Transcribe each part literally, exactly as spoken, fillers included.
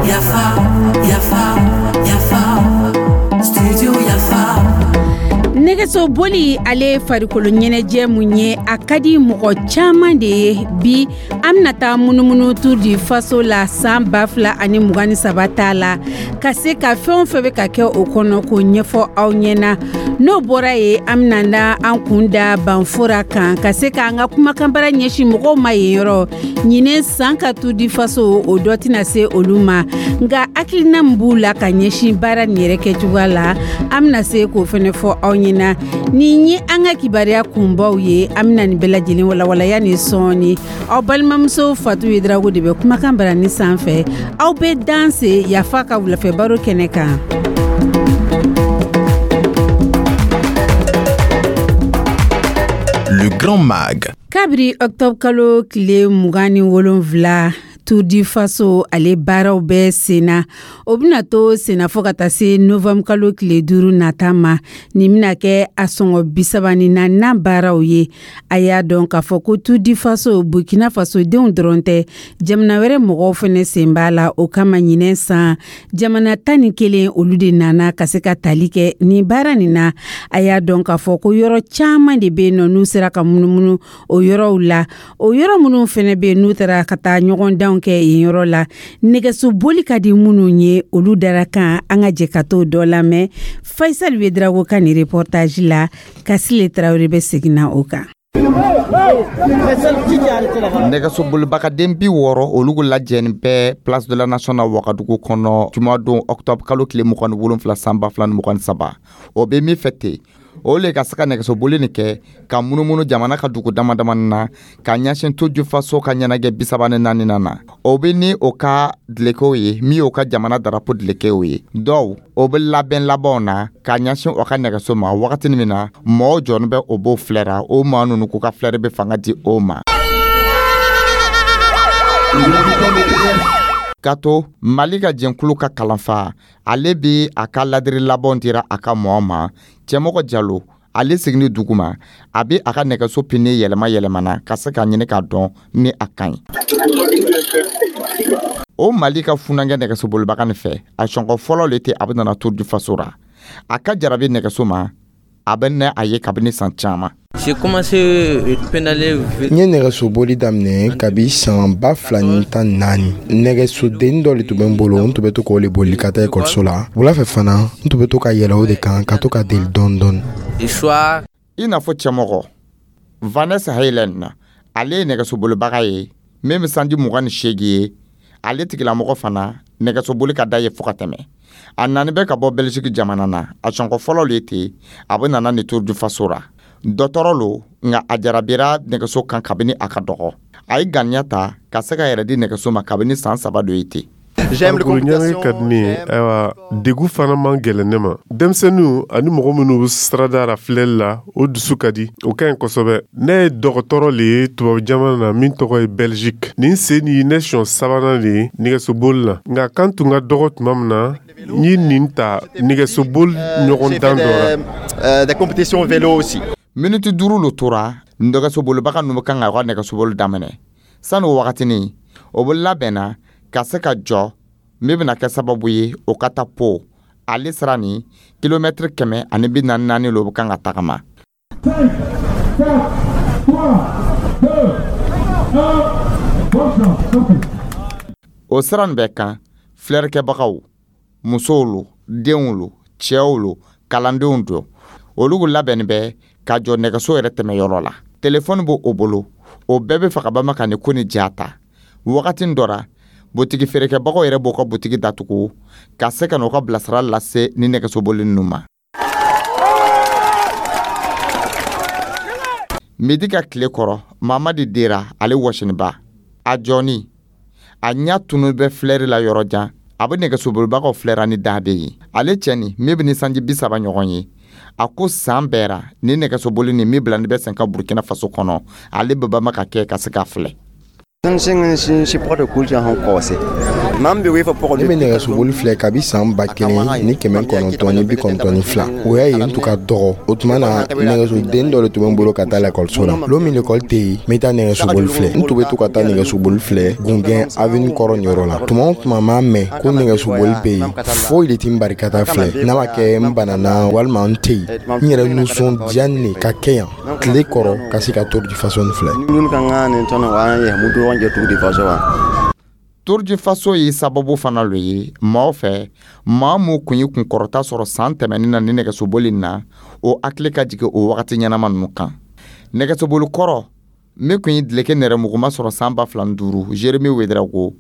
Yafa, yafa, yafa, studio Yafa. Nɛgɛso boli, ale farikolo ɲɛnajɛ mun ye, a ka di mɔgɔ caman de ye. Bi, an bɛna taa munumunu Tour du Faso la san ba fila ani mugan ni saba t'a la, ka se ka fɛn o fɛn bɛ ka kɛ o kɔnɔ k'o ɲɛfɔ aw ɲɛna. N'o bɔra yen, an bɛna da an kun da Banfora kan, ka se k'an ka kumakanbara ɲɛsin mɔgɔw ma yen yɔrɔ. Ɲinɛ san ka Tour du Faso, o dɔ tɛna se olu ma, nka hakilina min b'u la ka ɲɛsin baara nin yɛrɛ kɛcogoya la, an bɛna se k'o fɛnɛ fɔ aw ɲɛna. Nin ye an ka kibaruya kunbaw ye. An bɛna nin bɛɛ lajɛlen walawalaya ni sɔɔni. Aw balimamuso Fatu Yedrago de bɛ kumakan barani sanfɛ. Aw bɛ danse Yafa ka wulafɛ baro kɛnɛ kan. Le Grand Mag. Kabiri octobre kalo tile mugan ni wolonfila, Tour du Faso ale baaraw bɛ sen na. O bɛna to senna fo ka taa se novembre kalo tile duuru nata ma. Nin bɛna kɛ a sɔngɔ bisaba ni naaninan baaraw ye. A y'a dɔn k'a fɔ ko Tour du Faso, Burkina Faso denw dɔrɔn tɛ, jamana wɛrɛ mɔgɔw fɛnɛ sen b'a la. O kama, ɲinɛ san, jamana tan ni kelen, olu de nana ka se ka tali kɛ nin baara nin na. A y'a dɔn k'a fɔ ko yɔrɔ caman de bɛ yen nɔ, n'u sera ka munumunu o yɔrɔw la. O yɔrɔ minnu fɛnɛ bɛ yen, n'u taara ka taa ɲɔgɔn danw kɛ yen yɔrɔ la, nɛgɛso boli ka di minnu ye, olu dara kan. An ka jɛ ka t'o dɔ lamɛn Faisal Ouédraogo ka nin reportage la. Kasile Tarawele bɛ segin na o kan. Nɛgɛsobolibagaden bi wɔɔrɔ, olu lajɛnin bɛ Place de la Nation na Wagadugu kɔnɔ, jumadon octobre kalo tile mugan ni wolonfila san ba fila ni mugan ni saba. O bɛ min fɛ ten, o le ka se ka nɛgɛsoboli nin kɛ ka munumunu jamana ka dugu dama damani na ka ɲɛsin Tour du Faso ka ɲɛnajɛ bisaba ni naani na. O bɛ ni o ka dulokiw ye, min y'o ka jamana darapo dulokiw ye. Dɔw o bɛ labɛn labanw na ka ɲɛsin o ka nɛgɛso ma. Wagati min na mɔgɔw jɔlen bɛ, o b'o filɛra, o maa ninnu k'u ka filɛri bɛ fanga di o ma. Ka to Mali ka jɛnkulu ka kalanfa, ale bi a ka ladiri labanw dira a ka mɔgɔ ma. Cɛmɔgɔ Jalo, ale seginni dugu ma, a bɛ a ka nɛgɛso pine yɛlɛma yɛlɛmana ka se k'a ɲini k'a dɔn ni a ka ɲi. O Mali ka funankɛ nɛgɛsobolibaga nin fɛ, a sɔngɔ fɔlɔ le tɛ a bɛ nana Tour du Faso ra. A ka jarabi nɛgɛso ma, a bɛ nɛ a ye kabini san caman. N ye nɛgɛsoboli daminɛ kabi san ba fila ni tan naani. Nɛgɛsodennin dɔ de tun bɛ n bolo, n tun bɛ to k'o le boli ka taa ekɔliso la. Wula fɛ fana, n tun bɛ to ka yɛlɛ o de kan ka to ka deli dɔɔni dɔɔni. I n'a fɔ cɛmɔgɔ Vanessa Helen, ale ye nɛgɛsobolibaga ye min bɛ sanji mugan ni seegin ye. Ale tigilamɔgɔ fana, nɛgɛsoboli ka da ye fo ka tɛmɛ. A nani bɛ ka bɔ Belgique jamana na. A sɔngɔ fɔlɔ le ten a bɛ nana ni Tour du Faso ra. Dɔtɔrɔ lo, nka a jarabira nɛgɛso kan kabini a ka dɔgɔ. A ye ganiya ta ka se ka yɛrɛ di nɛgɛso ma kabini san saba dɔ ye ten. Farikolo ɲɛnajɛ ka di ne ye. Ayiwa, degu fana man gɛlɛn ne ma. Denmisɛnninw ani mɔgɔ minnu bɛ sirada la filɛli la, o dusu ka di, o ka ɲi kosɛbɛ. Ne ye dɔgɔtɔrɔ le ye tubabu jamana na min tɔgɔ ye Belgique. Nin sen nin ye ne siɲɛ sabanan de ye nɛgɛsoboli la, nka kan tun ka dɔgɔ tuma min na, n ye nin ta nɛgɛsoboli ɲɔgɔn dan dɔ la. Des compétitions vélo aussi. Miniti duuru lo tora, nɛgɛsobolibaga ninnu kan ka ka nɛgɛsoboli daminɛ. Sani o wagatinin, o bɛ labɛnna ka se ka jɔ min bɛna kɛ sababu ye o ka taa po ale sira ni kilomɛtiri kɛmɛ ani bi naani naani lo bɛ kan ka tagama. cinq, quatre, trois, deux, un, bonne chance, sortez. O sira nin bɛɛ kan, filɛrikɛbagaw, musow lo, denw lo, cɛw lo, kalandenw do, olu labɛnnin bɛ ka jɔ nɛgɛso yɛrɛ tɛmɛyɔrɔ la. Telefɔni b'o o bolo, o bɛɛ bɛ fɛ ka bama ka nin ko ni ja ta. Wagati dɔ ra, butigi feerekɛbagaw yɛrɛ b'u ka butigi datugu ka se ka n'u ka bilasira lase ni nɛgɛsoboli ninnu ma. Midi ka tile kɔrɔ, Mamadi Dera, ale wɔsiniba, a jɔni a ɲɛ tunu bɛ filɛri la yɔrɔ jan. A bɛ nɛgɛsobolibagaw filɛra ni da bɛ ye. Ale cɛni min bɛ ni sanji bi saba ɲɔgɔn ye, a ko san bɛɛ ra, ni nɛgɛsoboli ni min bila ni bɛ sen ka Burukina Faso kɔnɔ, ale bɛ bama ka kɛ ka se k'a filɛ. Ne bɛ nɛgɛsoboli filɛ kabi san ba kelen ni kɛmɛ kɔnɔntɔn ni bi kɔnɔntɔn ni fila. O y'a ye n tun ka dɔgɔ. O tuma na, nɛgɛsoden dɔ de tun bɛ n bolo ka taa lakɔliso la. Lon min lekɔli tɛ yen, n bɛ taa nɛgɛsoboli filɛ. N tun bɛ to ka taa nɛgɛsoboli filɛ Gungɛn avenue kɔrɔ nin yɔrɔ la. Tuma o tuma m'a mɛn ko nɛgɛsoboli bɛ yen, foyi de tɛ n bari ka taa filɛ, n'a ma kɛ n banana walima n tɛ yen. N yɛrɛ nisɔndiya ne ka kɛ yan tile kɔrɔ ka se ka Tour du Faso nin filɛ. Tour du Faso ye sababu fana lo ye maaw fɛ, maa mun kun ye kunkɔrɔta sɔrɔ san tɛmɛnin na ni nɛgɛsoboli na, o hakili ka jigin o wagati ɲɛnama ninnu kan. Nɛgɛsoboli kɔrɔ min kun ye dileke nɛrɛmuguma sɔrɔ san ba fila ni duuru, Jeremy Ouedraogo,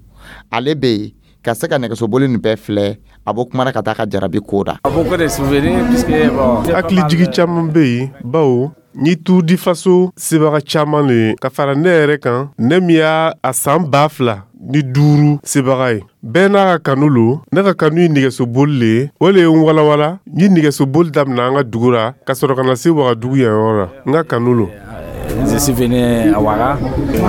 ale bɛ yen ka se ka nɛgɛsoboli nin bɛɛ filɛ. A bɔ kumana ka taa ka jarabi ko da. Hakili jigi caman bɛ yen, bawo ni Tour du Faso sebaga caman le ye ka fara ne yɛrɛ kan, ne min y'a a san ba fila ni duuru sebaga ye. Bɛɛ n'a ka kanu lo. Ne ka kanu ye nɛgɛsoboli le ye. O le ye n walawala n ye nɛgɛsoboli daminɛ an ka dugu ra, ka sɔrɔ ka na se Wagadugu yan yɔrɔ la. N ka kanu lo. Je suis venu à Ouaga,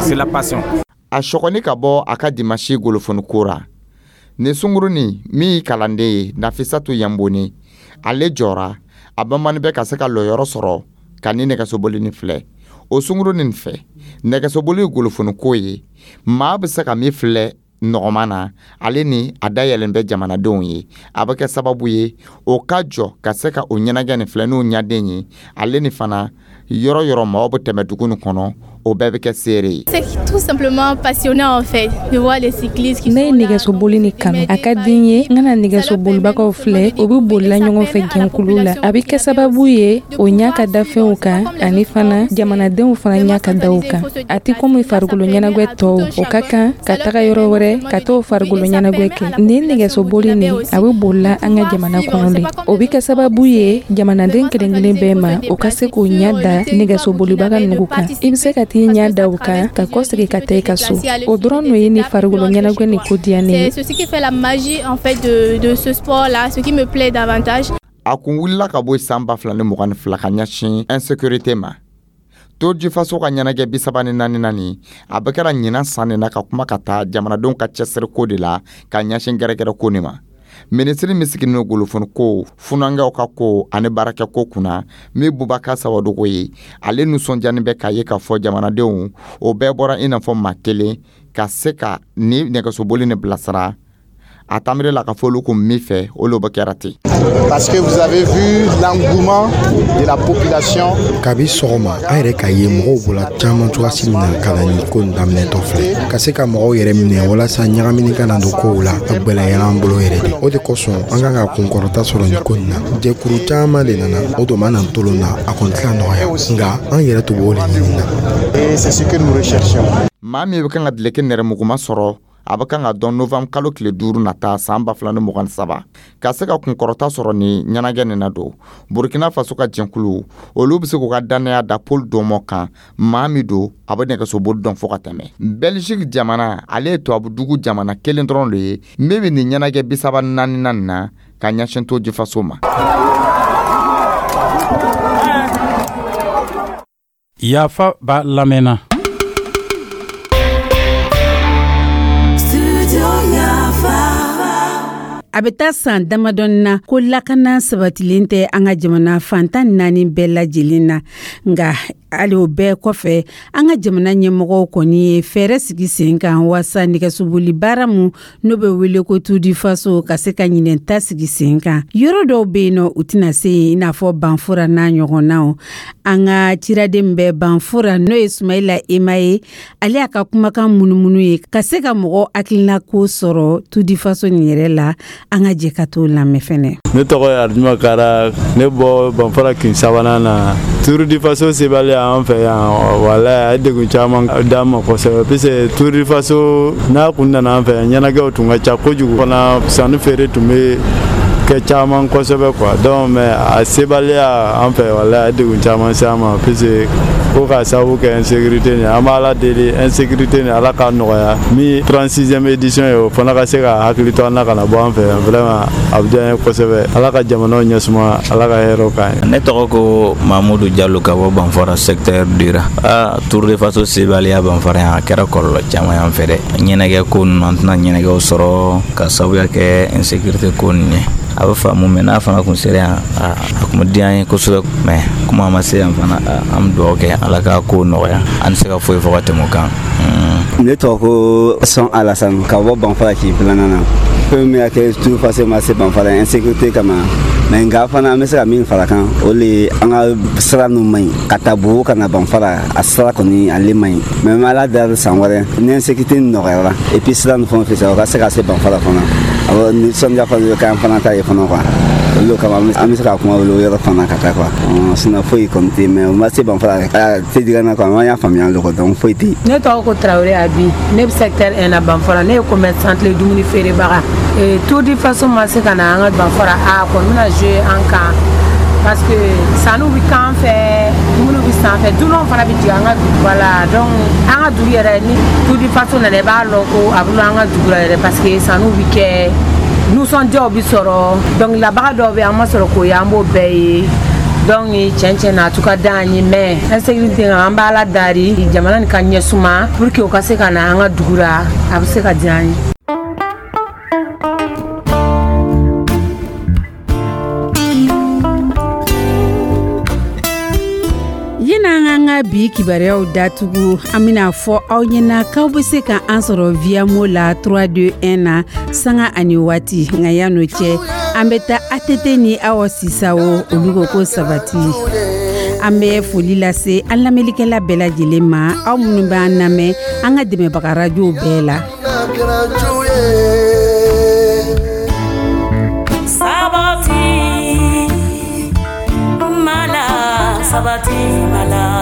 c'est la passion. A sɔgɔni ka bɔ a ka dimasi golofoni ko ra nin sungurunin min y'i kalanden ye, Nafisatu Yanboni, ale jɔra a bamani bɛ ka se ka lɔyɔrɔ sɔrɔ ka ni nɛgɛsoboli nin filɛ. O sungurunin fɛ, nɛgɛsoboli ye golofoni ko ye, maa bɛ se ka min filɛ nɔgɔman na. Ale ni a dayɛlɛn bɛ jamanadenw ye, a bɛ kɛ sababu ye o ka jɔ ka se ka o ɲɛnajɛ nin filɛ n'o ɲaden ye. Ale ni fana, yɔrɔ yɔrɔ maaw bɛ tɛmɛ dugu nin kɔnɔ, o bɛɛ bɛ kɛ seere ye. C'est tout simplement passionnant en fait de voir les cyclistes qui Ne ye nɛgɛsoboli ni kanu. A ka di n ye n kana nɛgɛsobolibagaw filɛ, o bɛ bolila ɲɔgɔn fɛ jɛnkulu la. A bɛ kɛ sababu ye o ɲa ka da fɛnw kan, ani fana jamanadenw fana ɲa ka da o kan. A tɛ komi farikolo ɲɛnagwɛ tɔw, o ka kan ka taga yɔrɔ wɛrɛ ka t'o farikolo ɲɛnagwɛ kɛ. Nin nɛgɛsoboli nin, a bɛ bolila an ka jamana kɔnɔ de. O bɛ kɛ sababu ye jamanaden kelen kelen bɛɛ ma, o ka se k'o ɲa da nɛgɛsobolibaga nugu kan. I bɛ se ka t'i ɲa da o kan ka kɔsegin ka taa i ka so. O dɔrɔn no ye ni farikolo ɲɛnagwɛ ni ko diya ne ye. C'est ce qui fait la magie en fait de, de ce sport là, ce qui me plaît davantage. A kun wulila ka bɔ san ba fila ni mugan ni fila ka ɲɛsin insécurité ma. Tour du Faso ka ɲɛnajɛ bi saba ni naani naani, a bɛ kɛra ɲinan san nin na ka kuma ka taa jamanadenw ka cɛsiriko de la ka ɲɛsin gɛrɛgɛrɛ ko nin ma. Minisiri min sigilen don golofoni ko, funankɛw ka ko ani baarakɛ ko kunna, min Bubakar Sawadogo ye, ale nisɔndiyani bɛ k'a ye k'a fɔ jamanadenw o bɛɛ bɔra i n'a fɔ maa kelen ka se ka ni nɛgɛsoboli ni bilasira. A tamire la ka fɔ olu kun min fɛ, o le bɛ kɛra ten. Parce que vous avez vu l'engouement de la population. Kabi sɔgɔma, an yɛrɛ k'a ye mɔgɔw bɔla caman cogoyasi min na ka na nin ko nin daminɛtɔ filɛ, ka se ka mɔgɔw yɛrɛ minɛ walasa ɲagamini kana don kow la, a gwɛlɛyara an bolo yɛrɛ de. O de kosɔn an kan ka kunkɔrɔta sɔrɔ nin ko nin na. Jɛkuru caman de nana, o don ma na tolon na, a kɔni tɛna nɔgɔya, nka an yɛrɛ tun b'o de ɲini na. Et c'est ce que nous recherchons. Maa min bɛ kan ka dileke nɛrɛmuguma sɔrɔ, a bɛ kan ka dɔn novembre kalo tile duuru nata san ba fila ni mugan ni saba. Ka se ka kunkɔrɔta sɔrɔ ni ɲɛnajɛ nin na don, Burkina Faso ka jɛnkulu, olu bɛ se k'u ka dannaya da Paul Dɔmɔ kan, maa min don a bɛ nɛgɛsoboli dɔn fo ka tɛmɛ. Belgique jamana, ale ye tubabudugu jamana kelen dɔrɔn de ye min bɛ nin ɲɛnajɛ bi saba ni naani nin na ka ɲɛsin Tour du Faso ma. Yafa b'a lamɛnna. Studio Yafa. A bɛ taa san damadɔni na ko lakana sabatilen tɛ an ka jamana fantan naani bɛɛ lajɛlen na. Nka hali o bɛɛ kɔfɛ, an ka jamana ɲɛmɔgɔw kɔni ye fɛɛrɛ sigi sen kan waasa nɛgɛsoboli baara mun n'o bɛ wele ko Tour du Faso ka se ka ɲinɛn ta sigi sen kan. Yɔrɔ dɔw bɛ yen nɔ, u tɛna se yen, i n'a fɔ Banfora n'a ɲɔgɔnnaw. An ka ciraden bɛ Banfora, n'o ye Sumayila Ema ye, ale y'a ka kumakan munumunu ye ka se ka mɔgɔw hakilina ko sɔrɔ Tour du Faso nin yɛrɛ la. An ka jɛ ka t'o lamɛn fɛnɛ. Ne tɔgɔ ye Arijuma Kara, ne bɔ Banfora kin sabanan na. Tour du Faso sebaliya an fɛ yan, walayi, a ye degun caman d'an ma kosɛbɛ, puisque Tour du Faso n'a kun nana an fɛ yan, ɲɛnajɛw tun ka ca kojugu fana, sanni feere tun bɛ kɛ caman kosɛbɛ quoi. Donc mais a sebaliya an fɛ, walayi, a ye degun caman se an ma, puisque Ko k'a sababu kɛ insécurité nin, an b'Ala deli, insécurité nin, Ala k'a nɔgɔya. Min trente-sixième édition ye, o fana ka se ka hakili to an na ka na bɔ an fɛ yan. Vraiment, a bɛ diya an ye kosɛbɛ. Ala ka jamanaw ɲɛsuma, Ala ka hɛrɛw k'an ye. Ne tɔgɔ ko Mamudu Jalo ka bɔ Banfara, secteur Dira. Aa, Tour de Faso sebaliya Banfara yan, a kɛra kɔlɔlɔ caman y'an fɛ dɛ. Ɲɛnagɛ ko ninnu, an tɛna ɲɛnagɛw sɔrɔ ka sababuya kɛ insécurité ko ninnu ye. A bɛ faamu, mais n'a fana kun sera yan, a kun bɛ diya an ye kosɛbɛ. Mais komi a ma se yan fana, an bɛ dugawu kɛ, Ala k'a ko nɔgɔya. An tɛ se ka foyi fɔ ka tɛmɛ o kan. Ne tɔgɔ ko Sɔn Alassane ka bɔ Banfara kin filanan na. Fɛn min y'a kɛ Tour Faso ma se Banfara, insécurité kama. Mais nka fana, an bɛ se ka min fara kan, o le ye an ka sira ninnu man ɲi ka taa Bobo ka na Banfara. A sira kɔni, ale man ɲi. Mais n Ala dali, san wɛrɛ ni insécurité nɔgɔyara et puis sira ninnu fɛn fɛn, o ka se ka se Banfara fana, awɔ, nisɔndiya fana bɛ k'an fana ta ye fana quoi. Olu kama, an bɛ se ka kuma olu yɔrɔ fana ka taa quoi. Sinon foyi kɔni tɛ yen. Mais o ma se Banfara, a tɛ diga na quoi. An y'a faamuya le quoi, donc foyi tɛ yen. Ne tɔgɔ ko Tarawele Abi, ne bɛ secteur un na Banfara. Ne ye commerçante le, dumuni feerebaga. Tour du Faso ma se ka na an ka Banfara, a kɔni bɛna jouer an kan, parce que sanniw bɛ k'an fɛ, dumuniw bɛ san fɛ, dunanw fana bɛ jigin an ka duguba la. Donc an ka dugu yɛrɛ, ni Tour du Faso nana, i b'a lɔn ko a bɛ lɔn an ka dugu la yɛrɛ, parce que sanniw bɛ kɛ, nisɔndiyaw bɛ sɔrɔ, dɔnkililabaga dɔw bɛ yen, an ma sɔrɔ k'o ye, an b'o bɛɛ ye. Donc tiɲɛ tiɲɛ na, a tun ka d'an ye, mais insécurité, an b'a la dari jamana nin ka ɲɛsuma pour que o ka se ka na an ka dugu la, a bɛ se ka diya an ye. Yan'an k'an ka bi kibaruyaw datugu, an bɛna fɔ aw ɲɛna k'aw bɛ se ka an sɔrɔ Viamo la trois deux un na sanga ani waati. Nka yan'o cɛ, an bɛ taa A T T ni Awa Sisawo, olu ko ko sabati. An bɛ foli lase an lamɛnlikɛla bɛɛ lajɛlen ma, aw minnu b'an lamɛn an ka dɛmɛbaga rajow bɛɛ la. Sabati mala, sabati mala.